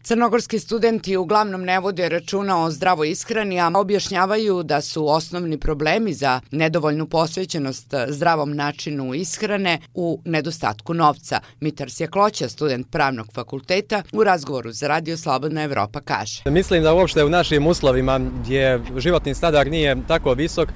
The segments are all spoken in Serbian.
Crnogorski studenti uglavnom ne vode računa o zdravoj ishrani, a objašnjavaju da su osnovni problemi za nedovoljnu posvećenost zdravom načinu ishrane u nedostatku novca. Mitar Sjekloća, student pravnog fakulteta, u razgovoru za Radio Slobodna Evropa kaže. Mislim da uopšte u našim uslovima gdje životni standard nije tako visok,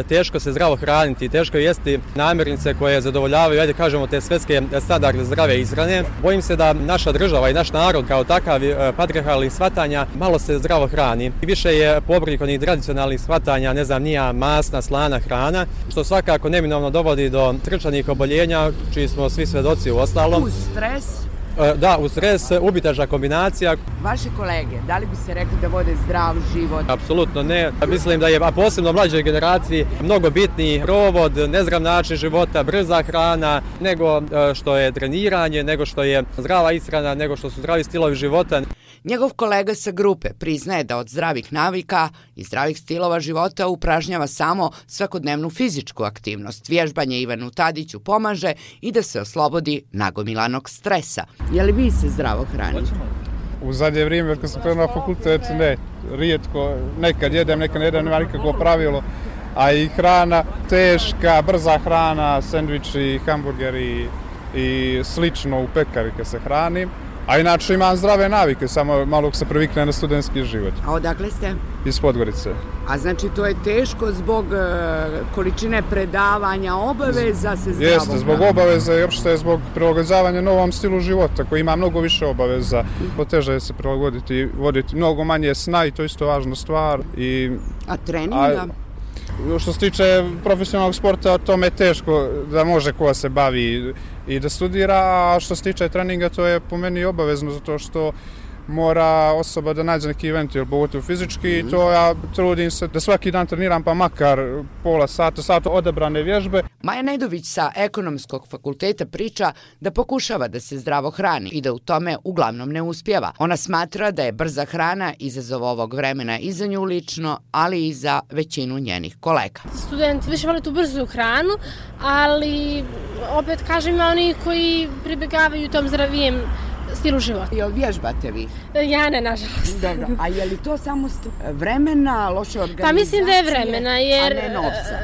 teško se zdravo hraniti, teško je jesti namirnice koje zadovoljavaju, ajde kažemo, te svetske standarde zdrave ishrane. Bojim se da naša država i naš narod kao takav patrijarhalnih shvatanja malo se zdravo hrani. Više je pobornik onih tradicionalnih shvatanja, ne znam, nija masna, slana hrana, što svakako neminovno dovodi do trčanih oboljenja, čiji smo svi svedoci u ostalom. Uz stres? Da, uz stres, ubitačna kombinacija. Vaše kolege, da li bi se rekli da vode zdrav život? Apsolutno ne. Mislim da je, a posebno mlađoj generaciji, mnogo bitniji provod, nezdrav način života, brza hrana, nego što je treniranje, nego što je zdrava ishrana, nego što su zdravi stilovi života. Njegov kolega sa grupe priznaje da od zdravih navika i zdravih stilova života upražnjava samo svakodnevnu fizičku aktivnost. Vježbanje Ivanu Tadiću pomaže i da se oslobodi nagomilanog stresa. Je li vi se zdravo hranite? U zadnje vrijeme, kad sam krenuo na fakultet, ne, rijetko, nekad jedem, nekad ne jedem, nema nikakvo pravilo. A i hrana, teška, brza hrana, sendviči, hamburgeri i slično u pekari kad se hranim. A inače imam zdrave navike, samo malo se privikne na studentski život. A odakle ste? Iz Podgorice. A znači to je teško zbog količine predavanja, obaveza se zdravo? Jeste, zbog obaveza i opšte zbog prilagođavanja novom stilu života koji ima mnogo više obaveza. Poteže je se prilagoditi, voditi mnogo manje sna i to je isto važna stvar. A treninga? Što se tiče profesionalnog sporta, tome je teško da može ko se bavi i da studira, a što se tiče treninga, to je po meni obavezno, zato što mora osoba da nađe neki ventil, pogotovo fizički, i to ja trudim se da svaki dan treniram, pa makar pola sata odabrane vježbe. Maja Nedović sa Ekonomskog fakulteta priča da pokušava da se zdravo hrani i da u tome uglavnom ne uspijeva. Ona smatra da je brza hrana izazov ovog vremena i za nju lično, ali i za većinu njenih kolega. Studenti više vole tu brzu hranu, ali opet kažem, ima oni koji pribjegavaju tom zdravijem stilu života. Jel vježbate vi? Ja ne, nažalost. Dobro, a je li to samo vremena, loše organizacije? Pa mislim da je vremena, jer... A ne novca?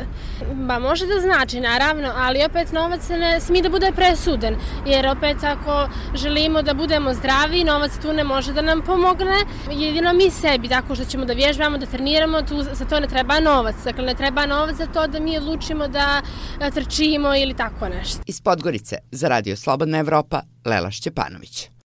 Ba, može da znači, naravno, ali opet novac ne smije da bude presuden, jer opet ako želimo da budemo zdravi, novac tu ne može da nam pomogne, jedino mi sebi, tako što ćemo da vježbamo, da treniramo, tu za to ne treba novac. Dakle, ne treba novac za to da mi odlučimo da trčimo ili tako nešto. Iz Podgorice za Radio Slobodna Evropa, Lela Šćepanović.